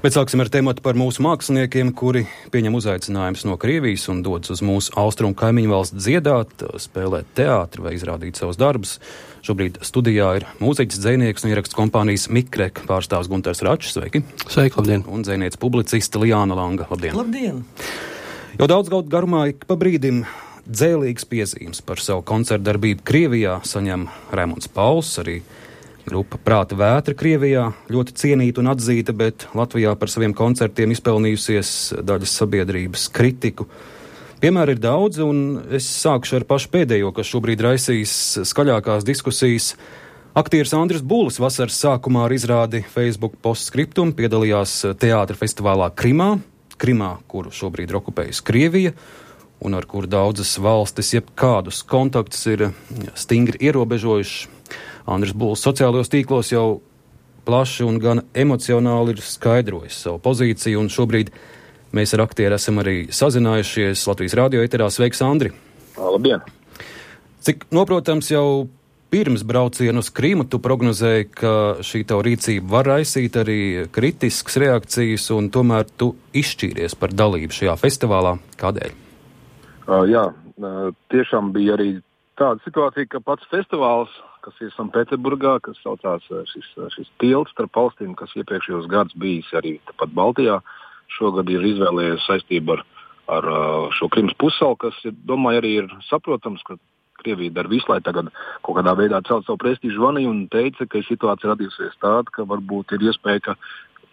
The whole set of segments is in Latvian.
Bet sāksim ar tematu par mūsu māksliniekiem, kuri pieņem uzaicinājumus no Krievijas un dodas uz mūsu austrumu kaimiņu valsts dziedāt, spēlēt teātri vai izrādīt savus darbus. Šobrīd studijā ir mūziķis, dzejnieks un ierakstu kompānijas Mikrek pārstāvs Gunters Račs. Sveiki! Sveiki, labdien! Un dzejniece publiciste Liāna Langa. Labdien! Labdien! Jau daudz gadu garumā ik pa brīdim dzēlīgas piezīmes par savu koncertu darbību Krievijā saņem Raimonds Pauls, arī grupa Prāta Vētra Krievijā, ļoti cienīta un atzīta, bet Latvijā par saviem koncertiem izpelnījusies daļas sabiedrības kritiku. Piemēri ir daudz, un es sākšu ar pašu pēdējo, kas šobrīd raisīs skaļākās diskusijas. Aktieris Andris Bulis vasaras sākumā ar izrādi Facebook postskriptum piedalījās teātra festivālā Krimā, kuru šobrīd ir okupējusi Krievija, un ar kuru daudzas valstis jebkādus kontaktus ir stingri ierobežojuši. Andris Bulis sociālajos tīklos jau plaši un gan emocionāli ir skaidrojis savu pozīciju, un šobrīd mēs ar aktieru esam arī sazinājušies Latvijas radio eterā. Sveiks, Andri! Labdien! Cik noprotams, jau pirms brauciena uz Krimu tu prognozēji, ka šī tava rīcība var raisīt arī kritiskas reakcijas, un tomēr tu izšķīries par dalību šajā festivālā. Kādēļ? Jā, tiešām bija arī tāda situācija, ka pats festivāls, kas ir Sanktpēterburgā, kas saucās šis tilts starp valstīm, kas iepriekšējos gadus bijis arī tepat Baltijā, šogad ir izvēlējies saistību ar šo Krimas pussalu, kas, domāju, arī ir saprotams, ka Krievija dara visu, lai tagad kaut kādā veidā celt savu prestīžu zvanīju un teica, ka situācija radīsies tāda, ka varbūt ir iespēja, ka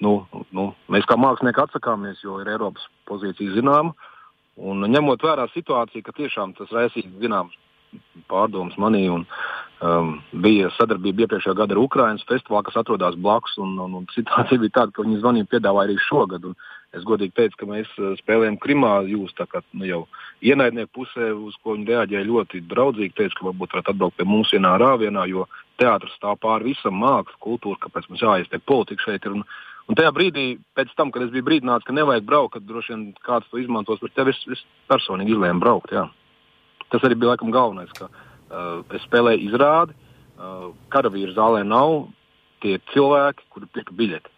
mēs kā mākslinieki atsakāmies, jo ir Eiropas pozīcija zināma, un ņemot vērā situāciju, ka tiešām tas raisīs zināms pārdomas manī, un bija sadarbība iepriekšējā gada ar Ukrainas festivālu, kas atrodas blakus, un situācija bija tāda, ka viņi zvanīja piedāvāja arī šogad, un es godīgi teicu, ka mēs spēlējam Krimā, jūs tā kā jau ienaidnieku pusē, uz ko viņi reaģēja ļoti draudzīgi, teica, ka varbūt varētu atbraukt pie mums vienā rāvienā, jo teātris stāv pāri visam, māksla, kultūra, kāpēc mums jāiestiek politika šeit ir, un tajā brīdī, pēc tam, kad es biju brīdināts, ka nevajag braukt, kad droši vien kāds to izmantos, bet tev es personīgi izlēmu braukt, jā. Tas arī bija laikam galvenais, ka es spēlēju izrādi, karavīru zālē nav, tie cilvēki, kuri pirka biļeti.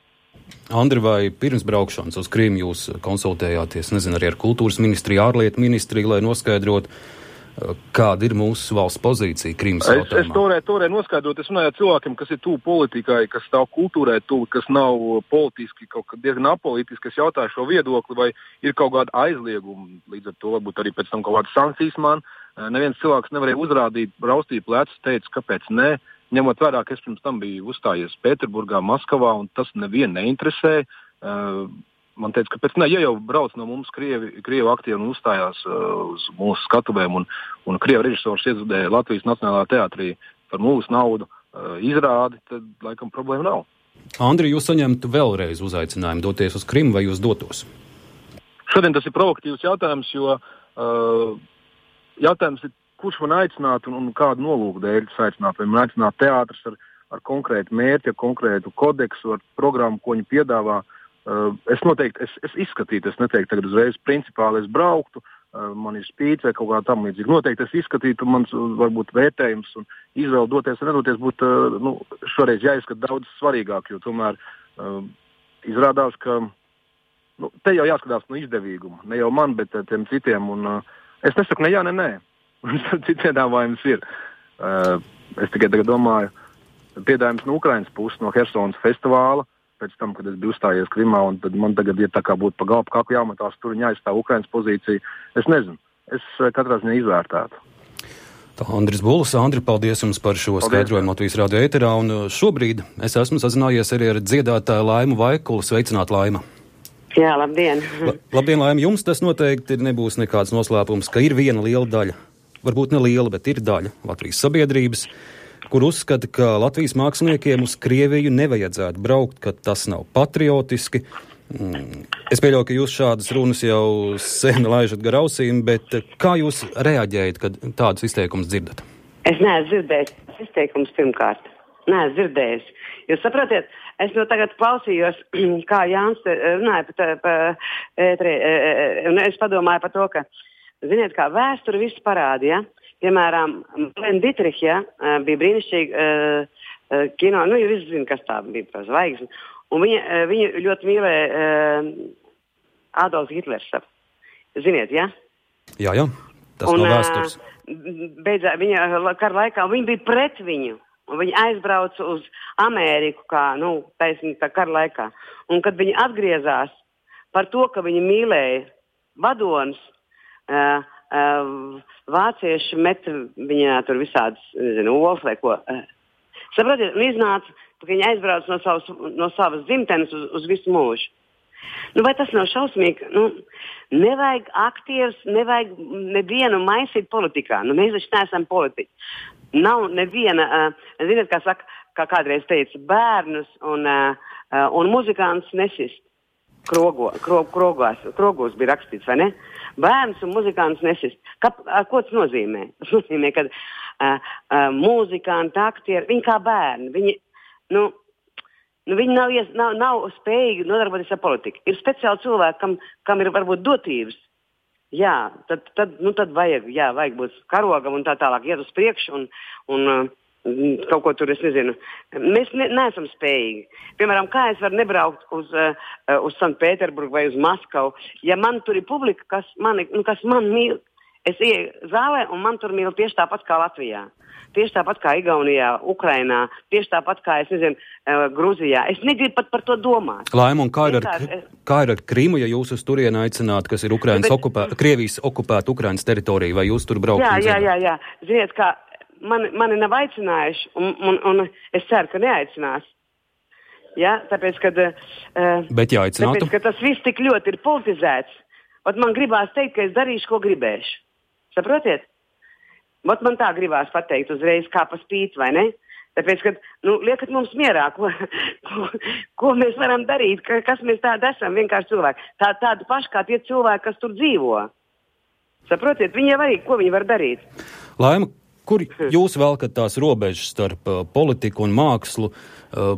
Andri, vai pirms braukšanas uz Krimu jūs konsultējāties, nezinu, arī ar kultūras ministriju, ārlietu ministriju, lai noskaidrotu, kāda ir mūsu valsts pozīcija Krimas jautājumā? Es toreiz noskaidrot, es runāju ar cilvēkiem, kas ir tuvu politikai, kas stāv kultūrai tuvu, kas nav politiski, kaut kā diezgan apolitiski, kas jautāja šo viedokli, vai ir kaut kāda aizlieguma, līdz ar to varbūt arī pēc tam kaut kādas sankcijas man. Neviens cilvēks nevarēja uzrādīt, raustīt plecus, teica, kāpēc nē, ņemot vērā, ka es pirms tam biju uzstājies Pēterburgā, Maskavā, un tas nevienu neinteresē. Man teica, kāpēc nē, ja jau brauc no mums Krievu aktieri un uzstājās uz mūsu skatuvēm, un Krievu režisors iezudēja Latvijas Nacionālajā teātrī par mūsu naudu izrādi, tad laikam problēma nav. Andri, jūs saņemtu vēlreiz uzaicinājumu doties uz Krimu, vai jūs dotos? Šodien tas ir provokatīvs jautājums, jo jautājums ir, kurš man aicinātu un kādu nolūku dēļ aicinātu, vai man aicinātu teātris ar konkrētu mērķi, ar konkrētu kodeksu, ar programmu, ko viņi piedāvā. Es noteikti, es izskatītu, es neteiktu tagad uzreiz principāli, es brauktu, man ir spīts vai kaut kā tam līdzīgi. Noteikti es izskatītu, mans varbūt vērtējums un izvēle doties vai nedoties būtu, šoreiz jāizskat daudz svarīgāk, jo tomēr izrādās, ka, te jau jāskatās no izdevīguma, ne jau man, bet tiem citiem, un es nesaku ne jā, ne nē. Cits piedāvājums ir. Es tikai tagad domāju, piedāvājums no Ukrainas puses, no Hersonas festivāla, pēc tam, kad es biju uzstājies Krimā, un tad man tagad ir tā kā būtu pa galvu kaku jāmatās tur un jāizstāv Ukrainas pozīcija. Es nezinu. Es katrā ziņā izvērtētu. Tā Andris Bulis. Andri, paldies jums par šo skaidrojumu Latvijas radio eterā, un šobrīd es esmu sazinājies arī ar dziedātāju Laimu Vaikulu. Sveicināt, Laima! Jā, labdien! Labdien, Laima! Jums tas noteikti nebūs nekāds noslēpums, ka ir viena liela daļa, varbūt ne liela, bet ir daļa Latvijas sabiedrības, kur uzskata, ka Latvijas māksliniekiem uz Krieviju nevajadzētu braukt, ka tas nav patriotiski. Es pieļauju, ka jūs šādas runas jau sen laižat gar ausīm, bet kā jūs reaģējat, kad tādus izteikumus dzirdat? Es neesmu dzirdējis tādus izteikumus pirmkārt. Neesmu dzirdējis. Jūs saprotiet, es no tagad klausījos, kā Jānis runāja par un es padomāju par to, ka, ziniet, kā vēsture visu parādīja. Piemēram, Marlēna Dietricha bija brīnišķīga kino, jūs visi zina, kas tā bija par zvaigzni. Un viņa ļoti mīlēja Adolfs Hitlers. Ziniet, ja? Jā, tas nav vēstures. Beidzā viņa kara laikā, viņa bija pret viņu. Un viņa aizbrauca uz Ameriku tā kara laikā. Un kad viņa atgriezās par to, ka viņa mīlēja vadonis, vācieši met viņā tur visādas, olas vai ko. Saprotiet, un iznāca, ka viņa aizbrauca no savas dzimtenes uz visu mūžu. Vai tas nav šausmīgi? Nevajag aktierus, nevajag nevienu maisīt politikā. Mēs taču neesam politiķi. Nav neviena, ziniet, kā saka, kā kādreiz teica, bērnus un muzikants nesist. Krogos bija rakstīts, vai ne? Bērns un muzikants nesist. Ko tas nozīmē? Tas nozīmē, ka muzikanti, aktieri, viņi kā bērni, viņi nav spējīgi nodarboties ar politiku. Ir speciāli cilvēki, kam ir varbūt dotības. Jā, tad vajag būt karogam un tā tālāk, iet uz priekšu un kaut ko tur, es nezinu. Mēs neesam spējīgi. Piemēram, kā es varu nebraukt uz Sanktpēterburgu vai uz Maskavu, ja man tur ir publika, kas man mīl. Es ieju zālē un man tur mīl tieši tāpat kā Latvijā. Tieši tāpat kā Igaunijā, Ukrainā, tieši tāpat kā, Gruzijā. Es negribu pat par to domāt. Laima, un kā ir ar Krimu, ja jūs uz turieni aicināt, kas ir Krievijas okupēta Ukrainas teritorija, vai jūs tur braukt? Jā. Ziniet, kā mani nav aicinājuši, un es ceru, ka neaicinās. Jā, tāpēc, Bet jāaicinātu? Tāpēc, ka tas viss tik ļoti ir politizēts. Man gribās teikt, ka es darīšu, ko gribēšu. Saprotiet? Man tā gribās pateikt uzreiz, kā pa spīti, vai ne? Tāpēc, ka, liekat mums mierā, ko mēs varam darīt, kas mēs tādi esam, vienkārši cilvēki. Tādi paši kā tie cilvēki, kas tur dzīvo. Saprotiet, viņi jau arī, ko viņi var darīt. Laima, kur jūs velkat tās robežas starp politiku un mākslu,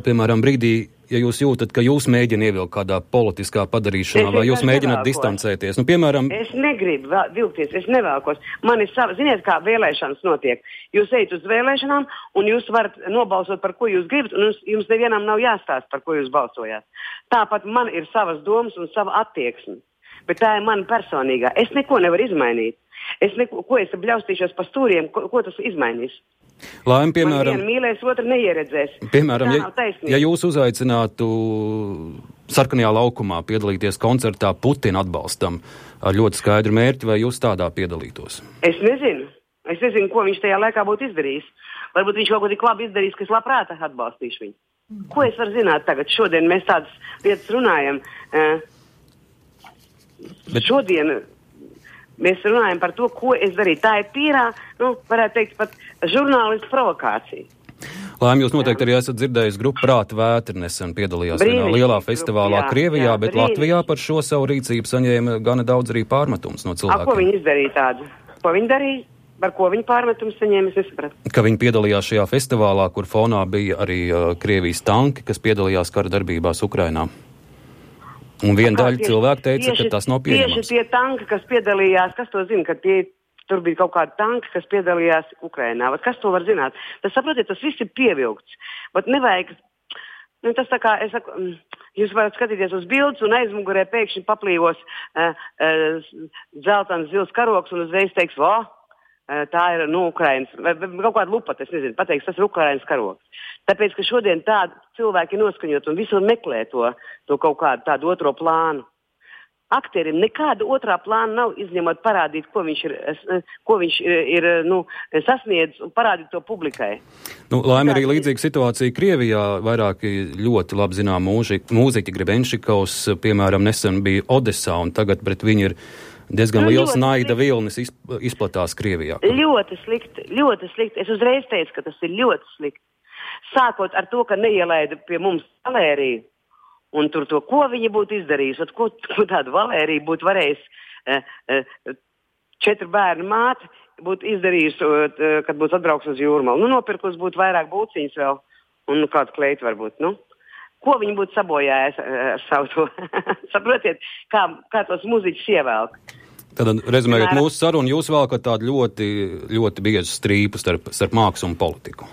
piemēram, brīdī, ja jūs jūtat, ka jūs mēģināt ievilkt kādā politiskā padarīšanā, vai jūs mēģināt distancēties? Piemēram... Es negribu vilkties, es nevēlkos. Man ir ziniet, kā vēlēšanas notiek. Jūs ejat uz vēlēšanām, un jūs varat nobalsot, par ko jūs gribat, un jums nevienam nav jāstāst, par ko jūs balsojāt. Tāpat man ir savas domas un sava attieksme. Bet tā ir mana personīgā. Es neko nevaru izmainīt. Ko es bļaustīšos pa stūriem, ko tas izmainīs? Laim, piemēram, man vienu mīlēs, otru neieredzēs. Piemēram, ja jūs uzaicinātu Sarkanajā laukumā piedalīties koncertā Putina atbalstam ar ļoti skaidru mērķi, vai jūs tādā piedalītos? Es nezinu, ko viņš tajā laikā būtu izdarījis. Varbūt viņš kaut ko tik labi izdarījis, ka es labprāt atbalstīšu viņu. Ko es varu zināt tagad? Šodien mēs tādas lietas runājam. Šodien mēs runājam par to, ko es darīju. Tā ir tīrā, varētu teikt, pat žurnālistu provokācija. Laim, jūs noteikti arī esat dzirdējis grupu Prāta vētra nesen piedalījās vienā lielā festivālā Krievijā, bet Latvijā par šo savu rīcību saņēma gana daudz arī pārmetums no cilvēkiem. Ko viņi izdarīja tādu? Ko viņi darīja? Par ko viņi pārmetums saņēma, es nesapratu. Ka viņi piedalījās šajā festivālā, kur fonā bija arī Krievijas tanki, kas piedalījās kara darbībās Ukrainā. Un viena daļa cilvēku teica, ka tas nav pieņemams. Tieši tie tanki, kas piedalījās, kas to zina, ka tur bija kaut kādi tanki, kas piedalījās Ukrainā. Kas to var zināt? Tas, saprotiet, tas viss ir pievilkts. Bet nevajag, tas tā kā, es saku, jūs varat skatīties uz bildes un aizmugurē pēkšņi paplīvos dzeltens zils karoks un uzreiz teiks, tā ir, Ukrainas, vai kaut kāda lupata, es nezinu, pateiks, tas ir Ukrainas karoks. Tāpēc, ka šodien tādi cilvēki noskaņot un visur meklē to kaut kādu tādu otro plānu. Aktierim nekāda otrā plāna nav, izņemot parādīt, ko viņš ir sasniedzis un parādīt to publikai. Laim, arī līdzīga situācija Krievijā. Vairāki ļoti labi zinām mūziķi Grebenšikovs, piemēram, nesen bija Odesā, un tagad pret viņu ir diezgan liels naida vilnis izplatās Krievijā. Ļoti slikti, ļoti slikti. Es uzreiz teicu, ka tas ir ļoti slikti. Sākot ar to, ka neielaida pie mums Valēriju, un tur to, ko viņi būtu izdarījusi, ko tādu Valēriju būtu varējis 4 bērnu māte, būtu izdarījusi, kad būtu atbrauks uz Jūrmalu. Nopirkus būtu vairāk būciņas vēl, un kādu kleitu varbūt, Ko viņi būtu sabojājis ar savu to? Saprotiet, kā tos muziķus ievelk. Tad, rezumējot mūsu sarunu, jūs velkat tādu ļoti, ļoti biezu strīpu starp mākslu un politiku.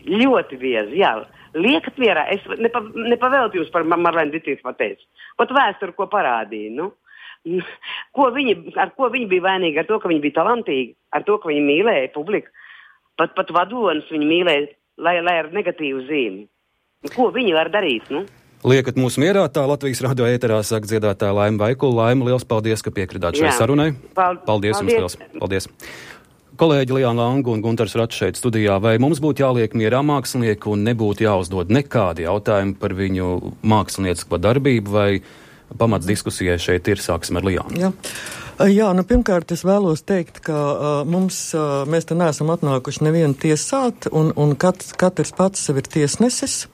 Ļoti biezi, jā. Liekat mierā, es nepavēltu jums par Marlēnu Dietrich pateicu. Pat vēsturi, ko parādīja, nu. Ar ko viņi bija vainīgi? Ar to, ka viņi bija talantīgi, ar to, ka viņi mīlēja publiku. Pat vadonis viņi mīlēja, lai ar negatīvu zīmi. Ko viņi var darīt, nu? Liekat mūsu mierā, tā Latvijas radio ēterā saka dziedātāja Laima Vaikula. Laima, liels paldies, ka piekritāt šai sarunai. Paldies jums liels. Paldies. Kolēģi Liāna Langa un Guntars Rats šeit studijā. Vai mums būtu jāliek mierā mākslinieki un nebūtu jāuzdod nekādi jautājumi par viņu māksliniecisko darbību, vai pamats diskusijai šeit ir? Sāksim ar Liānu. Jā, pirmkārt es vēlos teikt, ka mēs te neesam atnākuši nevienu tiesāt, un katrs pats sev ir tiesnesis.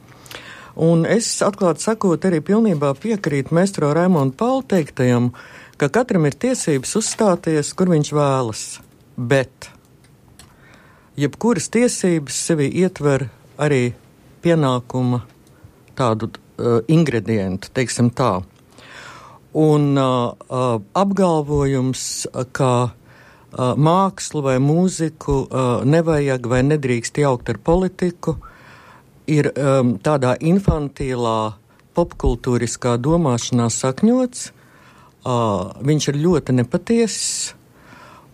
Un es, atklāti sakot, arī pilnībā piekrītu maestro Raimonda Paula teiktajam, ka katram ir tiesības uzstāties, kur viņš vēlas. Bet jebkuras tiesības sevi ietver arī pienākuma tādu ingredientu, teiksim tā. Un apgalvojums, ka mākslu vai mūziku nevajag vai nedrīkst jaukt ar politiku, ir tādā infantīlā popkultūriskā domāšanā sakņots. Viņš ir ļoti nepatiesis.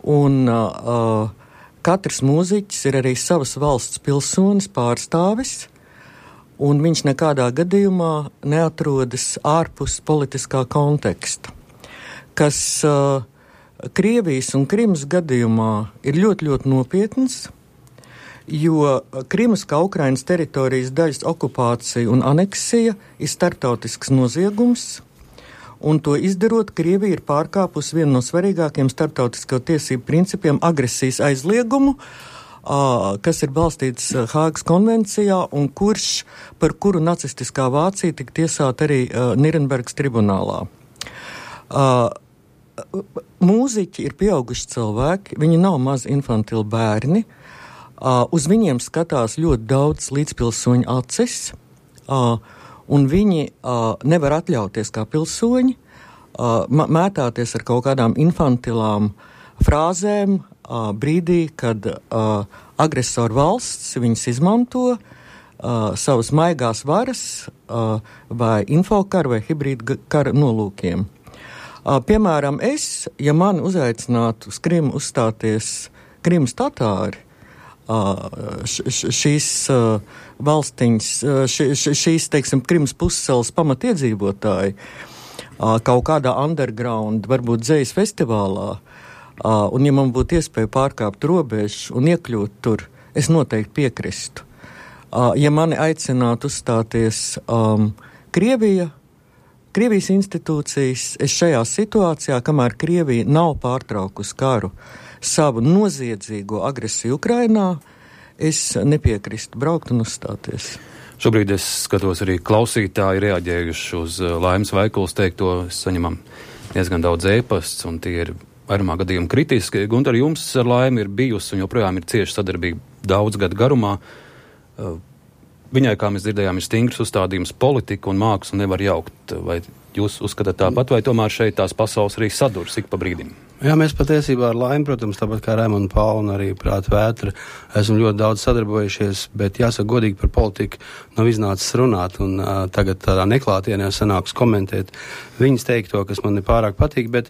Un katrs mūziķis ir arī savas valsts pilsonis, pārstāvis, un viņš nekādā gadījumā neatrodas ārpus politiskā konteksta, kas Krievijas un Krimas gadījumā ir ļoti, ļoti nopietns, jo Krimas kā Ukrainas teritorijas daļas okupācija un aneksija ir starptautisks noziegums. Un to izdarot, Krievija ir pārkāpusi vienu no svarīgākiem starptautisko tiesību principiem - agresijas aizliegumu, kas ir balstīts Hāgas konvencijā un par kuru nacistiskā Vācija tika tiesāta arī Nirenbergas tribunālā. Mūziķi ir pieauguši cilvēki, viņi nav mazi infantili bērni, uz viņiem skatās ļoti daudz līdzpilsoņu acis, un viņi nevar atļauties kā pilsoņi mētāties ar kaut kādām infantilām frāzēm brīdī, kad agresoru valsts viņas izmanto savas maigās varas vai infokara vai hibrīda kara nolūkiem. Piemēram, ja mani uzaicinātu uz Krimu uzstāties Krimas tatāri, šīs valstiņas, šīs, teiksim, Krimas pussalas pamatiedzīvotāji kaut kādā underground, varbūt dzejas festivālā, un ja man būtu iespēja pārkāpt robežu un iekļūt tur, es noteikti piekristu. Ja mani aicinātu uzstāties Krievijas institūcijas, es šajā situācijā, kamēr Krievija nav pārtraukusi karu, savu noziedzīgo agresiju Ukrainā, es nepiekrīstu braukt un uzstāties. Šobrīd es skatos arī klausītāji reaģējuši uz Laimas Vaikulas teikto. Saņemam diezgan daudz ēpasts, un tie ir vairumā gadījumi kritiski. Guntar, jums ar Laimu ir bijusi un joprojām ir cieša sadarbība daudz gadu garumā. Viņai, kā mēs dzirdējām, ir stingrs uzstādījums politika un mākslu nevar jaukt. Vai jūs uzskatāt tāpat, vai tomēr šeit tās pasaules arī sadurs ik pa brīdim? Jā, mēs patiesībā ar Laimu, protams, tāpat kā Raimonda Paula un arī Prāta Vētra, esam ļoti daudz sadarbojušies, bet jāsaka godīgi par politiku nav iznācis runāt, un tagad tādā neklātienē sanāks komentēt viņas teikto, kas man nepārāk patīk, bet,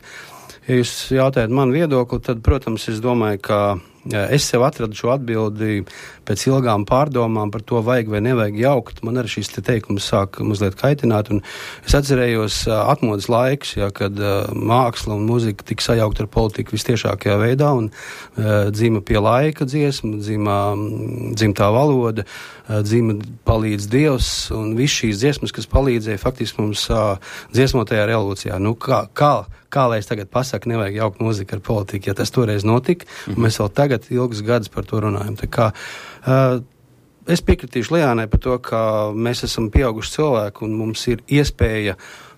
ja jūs jautājat man viedokli, tad, protams, es domāju, ka es sev atradu šo atbildi pēc ilgām pārdomām par to, vajag vai nevajag jaukt. Man arī šis teikums sāk mazliet kaitināt, un es atcerējos atmodas laikus, kad māksla un muzika tika sajaukt ar politiku vistiešākajā veidā, un dzima pie laika dziesma, dzimtā valoda, dzima palīdz Dievs, un viss šīs dziesmas, kas palīdzēja faktiski mums dziesmotajā revolūcijā. Nu, kā lai es tagad pasaku, nevajag jaukt mūziku ar politiku, ja tas toreiz notika, un mēs vēl tagad ilgus gadus par to runājam. Tā kā es piekritīšu Liānai par to, ka mēs esam pieauguši cilvēki un mums ir iespēja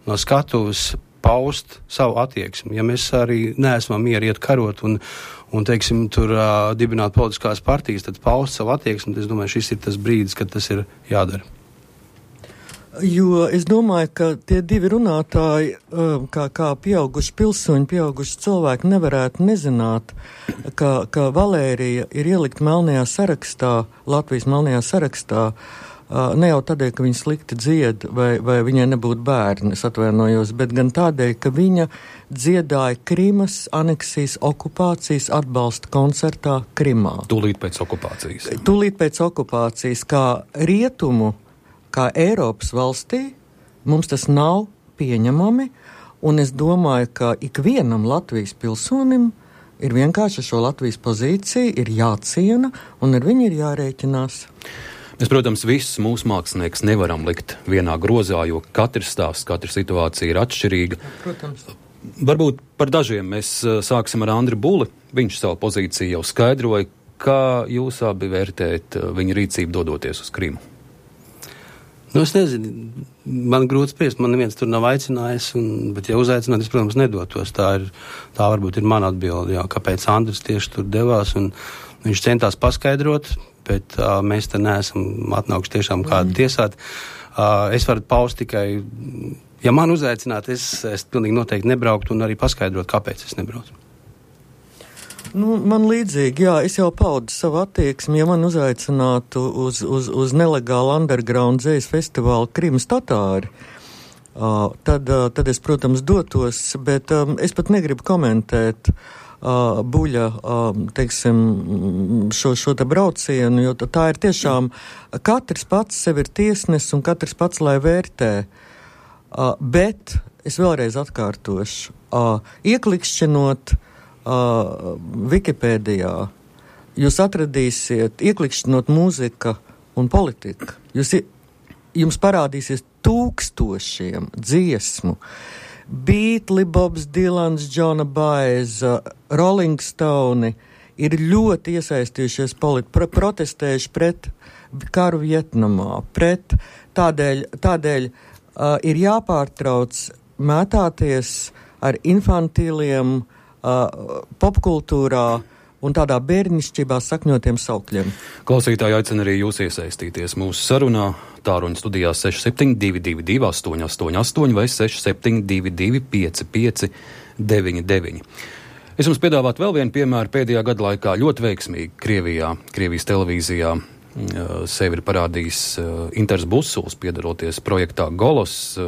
no skatuves paust savu attieksmi. Ja mēs arī neesam mieri iet karot un teiksim, tur dibināt politiskās partijas, tad paust savu attieksmi, es domāju, šis ir tas brīdis, kad tas ir jādara. Jo es domāju, ka tie divi runātāji, kā pieauguši pilsoņi, pieauguši cilvēki nevarētu nezināt, ka Valērija ir ielikt melnajā sarakstā, Latvijas melnajā sarakstā, Ne jau tādēļ, ka viņa slikti dzied vai viņai nebūtu bērni, es atvainojos, bet gan tādēļ, ka viņa dziedāja Krimas aneksijas okupācijas atbalsta koncertā Krimā. Tūlīt pēc okupācijas. Tūlīt pēc okupācijas, kā rietumu, kā Eiropas valstī, mums tas nav pieņemami, un es domāju, ka ikvienam Latvijas pilsonim ir vienkārši šo Latvijas pozīciju ir jāciena, un ar viņu ir jārēķinās. Mēs, protams, visus mūsu mākslinieks nevaram likt vienā grozā, jo katrs stāsts, katra situācija ir atšķirīga. Protams. Varbūt par dažiem mēs sāksim ar Andri Buli. Viņš savu pozīciju jau skaidroja. Kā jūs abi vērtējat viņa rīcību dodoties uz Krimu? Nu, es nezinu, man grūti spriest, man neviens tur nav aicinājis, bet ja uzaicināt, es, protams, nedotos. Tā varbūt ir mana atbilde, jā, kāpēc Andris tieši tur devās, un viņš centās paskaidrot, bet mēs te neesam atnākuši tiešām kādu tiesāt. Es varu paust tikai, ja man uzaicināt, es pilnīgi noteikti nebrauktu un arī paskaidrot, kāpēc es nebraucu. Nu, man līdzīgi, jā, es jau paudu savu attieksmi, ja man uzaicinātu uz nelegālu underground dzējas festivālu Krimas Tatāri, tad es, protams, dotos, bet es pat negribu komentēt Buļa, teiksim, šo te braucienu, jo tā ir tiešām, katrs pats sev ir tiesnes un katrs pats, lai vērtē, bet es vēlreiz atkārtošu, ieklikšķinot Wikipēdijā, jūs atradīsiet, ieklikšķinot mūzika un politika, jums parādīsies tūkstošiem dziesmu, Beatli, Bobs Dilans, Džona Baiza, Rolling Stone ir ļoti iesaistījušies protestējuši pret karu Vietnamā, tādēļ ir jāpārtrauc mētāties ar infantīliem popkultūrā un tādā bērnišķībā sakņotiem saukļiem. Klausītāji aicina arī jūs iesaistīties mūsu sarunā. Tāruņa studijā 6722 888 vai 6722 5599. Es jums piedāvātu vēl vienu piemēru pēdējā gada laikā ļoti veiksmīgi Krievijas televīzijā. Sevi ir parādījis Inters Busuls, piedaroties projektā Golos.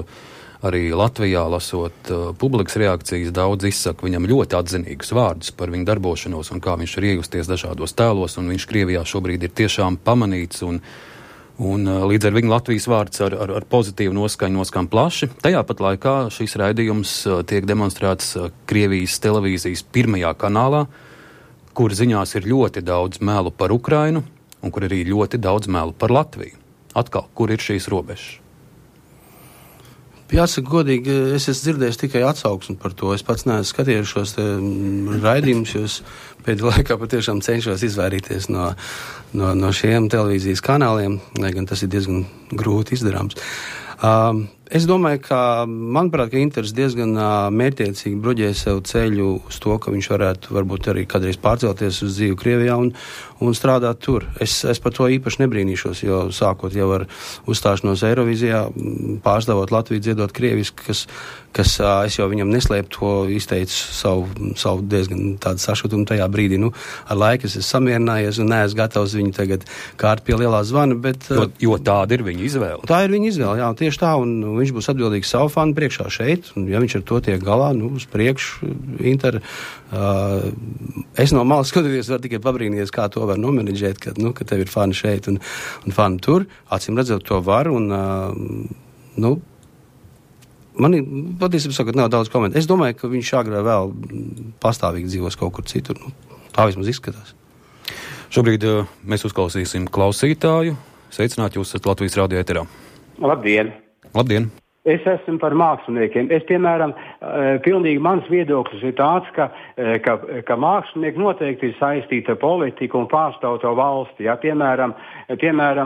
Arī Latvijā, lasot publikas reakcijas, daudz izsaka viņam ļoti atzinīgus vārdus par viņu darbošanos un kā viņš ir iegusties dažādos tēlos, un viņš Krievijā šobrīd ir tiešām pamanīts, un līdz ar viņu Latvijas vārds ar pozitīvu noskaņu noskan plaši. Tajā pat laikā šīs raidījums tiek demonstrēts Krievijas televīzijas pirmajā kanālā, kur ziņās ir ļoti daudz melu par Ukrainu, un kur arī ļoti daudz melu par Latviju. Atkal, kur ir šīs robežas? Jāsaka godīgi, es esmu dzirdējis tikai atsauksmi par to. Es pats neesmu skatījies šos raidījumus, jo es pēdējā laikā patiešām cenšos izvairīties no šiem televīzijas kanāliem, lai gan tas ir diezgan grūti izdarāms. Es domāju, ka, manuprāt, ka Inters diezgan mērķiecīgi bruģē sev ceļu uz to, ka viņš varētu varbūt arī kādreiz pārcelties uz dzīvi Krievijā un strādāt tur. Es par to īpaši nebrīnīšos, jo sākot jau ar uzstāšanos Eirovizijā, pārstāvot Latviju dziedot krieviski, kas es jau viņam neslēpu to, izteicu savu diezgan tādu sašutumu tajā brīdī. Nu, ar laiku es esmu samierinājies un neesmu gatavs viņu tagad kārt pie lielā zvana, bet... Jo tāda ir viņa izvēle. Tā ir viņa izvēle, jā, tieši tā, un viņš būs atbildīgs savu fanu priekšā šeit, un ja viņš ar to tiek galā, uz priekšu, Inter, es no malas skatoties varu tikai pabrīnīties, kā to var nomenedžēt, ka tev ir fani šeit un fani tur, acīm redzot to var, un, man patiesībā sakot, nav daudz komentāru. Es domāju, ka viņš agrāk vēl pastāvīgi dzīvos kaut kur citur, tā vismaz izskatās. Šobrīd mēs uzklausīsim klausītāju. Sveicināt, jūs esat Latvijas radio ēterā. Labdien! Labdien! Es esmu par māksliniekiem. Es, piemēram, pilnīgi mans viedoklis ir tāds, ka mākslinieki noteikti ir saistīti ar politiku un pārstāv to valsti. Ja? Piemēram,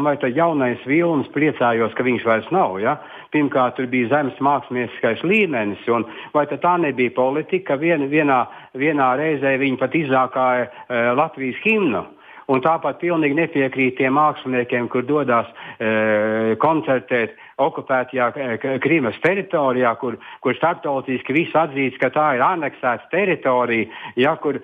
vai tad jaunais Vilnis priecājos, ka viņš vairs nav. Ja? Pirmkārt, tur bija zemes mākslinieckais līmenis, un vai tad tā nebija politika, vienā reizē viņi pat izzākāja Latvijas himnu. Un tāpat pilnīgi nepiekrīt tiem māksliniekiem, kur dodas koncertēt okupētajā Krimas teritorijā, kur starptautiski viss atzīst, ka tā ir aneksēta teritorija, ja, kur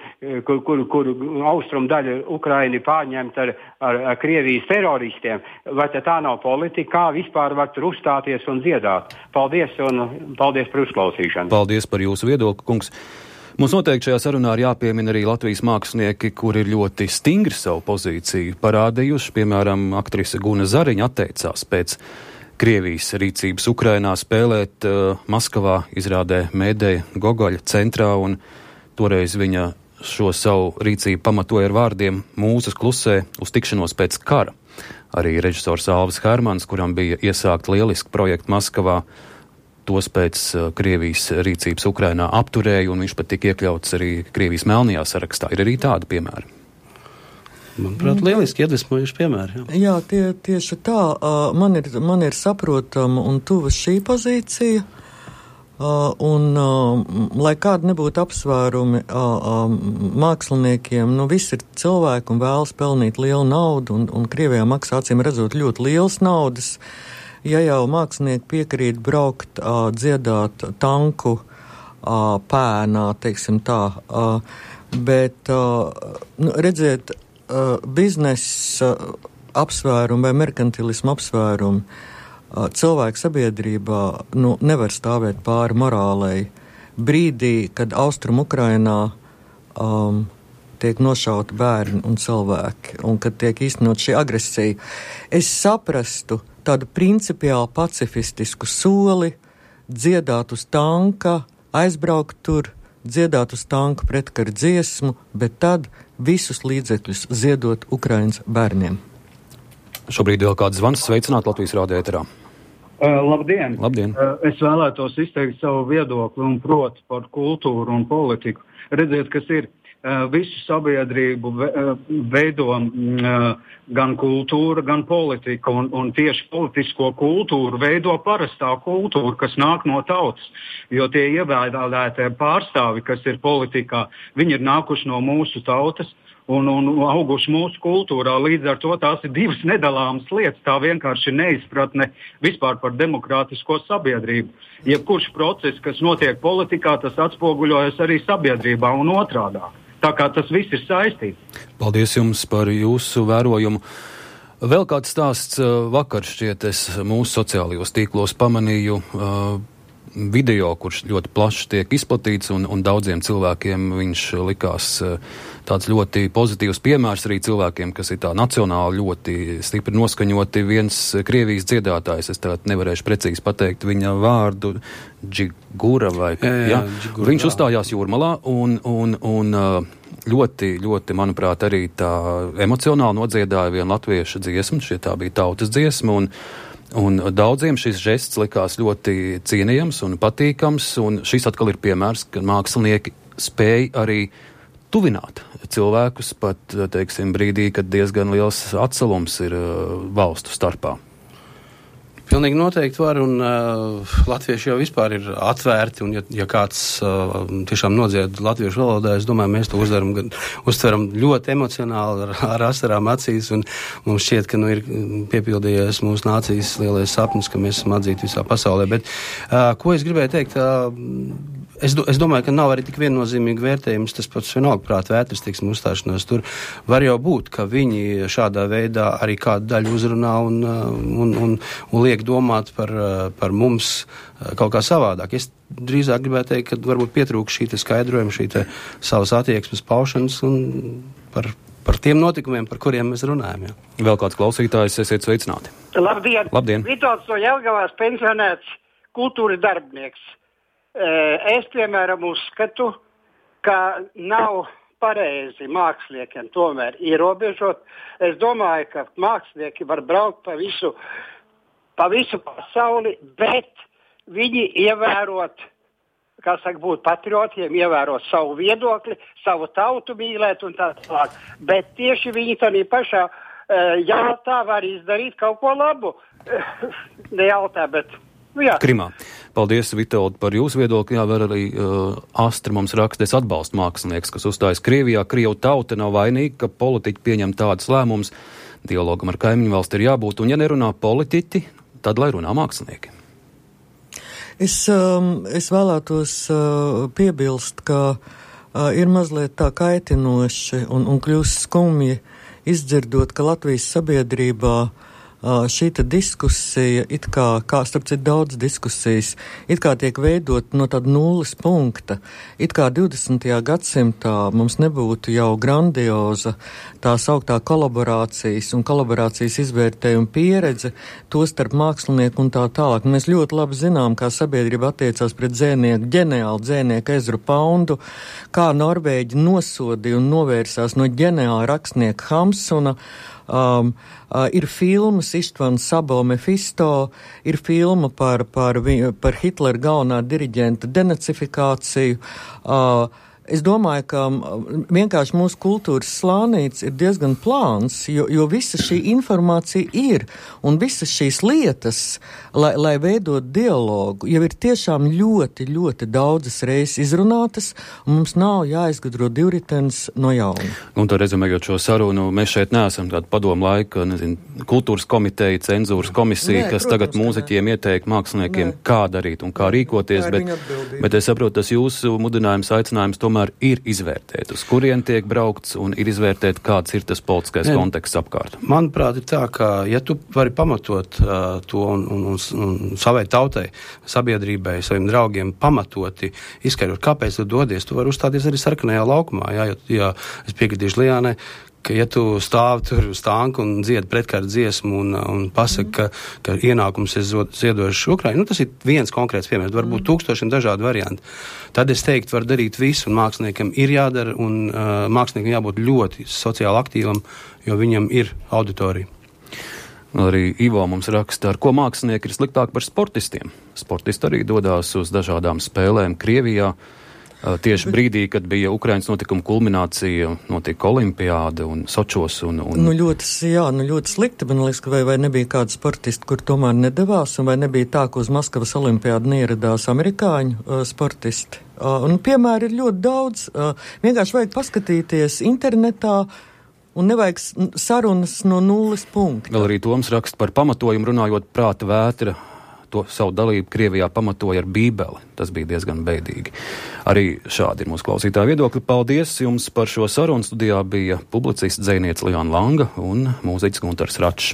austrumu daļa Ukraina pārņemta ar Krievijas teroristiem. Vai tā nav politika? Kā vispār var tur uzstāties un dziedāt? Paldies par uzklausīšanu. Paldies par jūsu viedokli, kungs. Mums noteikti šajā sarunā ir jāpiemina arī Latvijas mākslinieki, kuri ir ļoti stingri savu pozīciju parādījuši. Piemēram, aktrise Guna Zariņa atteicās pēc Krievijas rīcības Ukrainā spēlēt Maskavā izrādē Mēdeja Gogoļa centrā, un toreiz viņa šo savu rīcību pamatoja ar vārdiem "Mūzas klusē uz tikšanos pēc kara". Arī režisors Alvis Hermans, kuram bija iesākt lieliski projekti Maskavā, tos pēc Krievijas rīcības Ukrainā apturēja, un viņš pat tika iekļauts arī Krievijas melnajā sarakstā. Ir arī tādi piemēri. Manuprāt, lieliski iedvesmojuši piemēri. Jā, tieši tā. Man ir saprotama un tuva šī pozīcija. Lai kādi nebūtu apsvērumi māksliniekiem, visi ir cilvēki un vēlas pelnīt lielu naudu, un Krievijā maksā acīm redzot ļoti lielas naudas. Ja jau mākslinieki piekrīt braukt, dziedāt tanku pēnā, teiksim tā, bet, redziet, biznesa apsvērumi vai merkantilismu apsvērumi cilvēku sabiedrībā nevar stāvēt pāri morālei. Brīdī, kad Austrum Ukrainā tiek nošauti bērni un cilvēki, un kad tiek īstenot šī agresija, es saprastu tādu principiāli pacifistisku soli, dziedāt uz tanka, aizbraukt tur, dziedāt uz tanka pretkara dziesmu, bet tad visus līdzekļus ziedot Ukrainas bērniem. Šobrīd vēl kāds zvans. Sveicināt Latvijas rādio ēterā. Labdien! Labdien! Es vēlētos izteikt savu viedokli un proti par kultūru un politiku. Redziet, kas ir. Visu sabiedrību veido gan kultūra, gan politika, un tieši politisko kultūru veido parastā kultūra, kas nāk no tautas, jo tie ievēlētie pārstāvi, kas ir politikā, viņi ir nākuši no mūsu tautas un auguši mūsu kultūrā. Līdz ar to tās ir divas nedalāmas lietas. Tā vienkārši ir neizpratne vispār par demokrātisko sabiedrību. Jebkurš process, kas notiek politikā, tas atspoguļojas arī sabiedrībā un otrādāk. Tā kā tas viss ir saistīts. Paldies jums par jūsu vērojumu. Vēl kāds stāsts. Vakar šķiet es mūsu sociālajos tīklos pamanīju video, kurš ļoti plaši tiek izplatīts, un daudziem cilvēkiem viņš likās tāds ļoti pozitīvs piemērs arī cilvēkiem, kas ir tā nacionāli ļoti stipri noskaņoti. Viens Krievijas dziedātājs, es tagad nevarēšu precīzi pateikt viņa vārdu, Džigura vai Džigura, viņš uzstājās Jūrmalā un ļoti, ļoti, manuprāt, arī tā emocionāli nodziedāja vienu latviešu dziesmu, šie tā bija tautas dziesma, un daudziem šis žests likās ļoti cienījams un patīkams, un šis atkal ir piemērs, ka mākslinieki spēj arī tuvināt cilvēkus pat, teiksim, brīdī, kad diezgan liels atsalums ir valstu starpā. Pilnīgi noteikti var, un latvieši jau vispār ir atvērti, un ja kāds tiešām nodzied latviešu valodā, es domāju, mēs to uztveram ļoti emocionāli ar asarām acīs, un mums šķiet, ka ir piepildījies mūsu nācijas lielais sapnis, ka mēs esam atzīti visā pasaulē. Bet ko es gribēju teikt, es domāju, ka nav arī tik viennozīmīgi vērtējums, tas pats vienalga prāt vētras, teiksim, uzstāšanās tur. Var jau būt, ka viņi šādā veidā arī kādu daļu uzrunā un liek domāt par mums kaut kā savādāk. Es drīzāk gribētu teikt, ka varbūt pietrūkst šī skaidrojuma, šī savas attieksmes paušanas un par tiem notikumiem, par kuriem mēs runājam. Jā. Vēl kāds klausītājs, esiet sveicināti. Labdien! Labdien! Vitolds no Jelgavās, pensionēts kultūras darbinieks. Es, piemēram, uzskatu, ka nav pareizi māksliniekiem tomēr ierobežot. Es domāju, ka mākslinieki var braukt pa visu pasauli, bet viņi ievērot, būt patriotiem, ievērot savu viedokli, savu tautu mīlēt un tā tālāk. Bet tieši viņi tādā pašā jautā var izdarīt kaut ko labu. Nejautā, bet jā. Krimā. Paldies, Vitold, par jūsu viedokli. Jā, vēl arī Astra mums raksta, es atbalstu mākslinieks, kas uzstājas Krievijā. Krievu tauta nav vainīga, ka politiķi pieņem tādas lēmumus. Dialogam ar kaimiņu valsti ir jābūt, un ja nerunā politiķi, tad lai runā mākslinieki. Es vēlētos piebilst, ka ir mazliet tā kaitinoši un kļūst skumji izdzirdot, ka Latvijas sabiedrībā šīta diskusija, it kā starp citu daudz diskusijas, it kā tiek veidot no tāda nulles punkta, it kā 20. gadsimtā mums nebūtu jau grandioza tā sauktā kolaborācijas un kolaborācijas izvērtējuma pieredze, to starp mākslinieku un tā tālāk. Mēs ļoti labi zinām, kā sabiedrība attiecās pret ģeniālu dzēnieku Ezru Poundu, kā Norvēģi nosodīja un novērsās no ģeniāla rakstnieka Hamsuna. Ir filmas Ištvana Sabo Mefisto, ir filma par Hitlera galvenā diriģenta denacifikāciju. Es domāju, ka vienkārši mūsu kultūras slānīts ir diezgan plāns, jo visa šī informācija ir, un visas šīs lietas, lai veidot dialogu, jau ir tiešām ļoti, ļoti daudzas reizes izrunātas, un mums nav jāizgudro divritenis no jauna. Un to rezumējot šo sarunu, mēs šeit neesam tāda padomu laika, kultūras komiteja, cenzūras komisija, kas protams, tagad mūziķiem ieteik māksliniekiem, kā darīt un kā rīkoties, bet es saprotu, tas jūsu mudinājums, aicinājums tomēr ir izvērtēt, uz kurien tiek braukts un ir izvērtēt, kāds ir tas politiskais konteksts apkārt. Manuprāt, ir tā, ka ja tu vari pamatot to un savai tautai, sabiedrībai, saviem draugiem pamatoti izskaidrot, kāpēc tu dodies, tu vari uzstāties arī sarkanajā laukumā. Ja es piekritīšu Lijānai, ka ja tu stāvi tur uz tanku un dziedi pretkārt dziesmu un pasaka, ka ienākums ir ziedojuši Ukrainu, tas ir viens konkrēts piemērs, varbūt tūkstošiem dažādu variantu. Tad es teiktu, var darīt visu, un māksliniekam ir jādara, un māksliniekam jābūt ļoti sociāli aktīvam, jo viņam ir auditorija. Arī Ivo mums raksta, ar ko mākslinieki ir sliktāk par sportistiem. Sportisti arī dodās uz dažādām spēlēm Krievijā. Tieši brīdī, kad bija Ukrainas notikuma kulminācija, notika olimpiāda un Sočos un... ļoti slikti, man liekas, ka vai nebija kāda sportisti, kur tomēr nedavās, un vai nebija tā, ka uz Maskavas olimpiādu neieradās amerikāņu sportisti. Un piemēri ir ļoti daudz. Vienkārši vajag paskatīties internetā, un nevajag sarunas no nulles punkta. Vēl arī Toms raksta par pamatojumu, runājot prāta vētra. To savu dalību Krievijā pamatoja ar Bībeli. Tas bija diezgan beidīgi. Arī šādi ir mūsu klausītāja viedokļi. Paldies jums par šo sarunu. Studijā bija publicists dzejniece Liāna Langa un mūziķis Guntars Račs.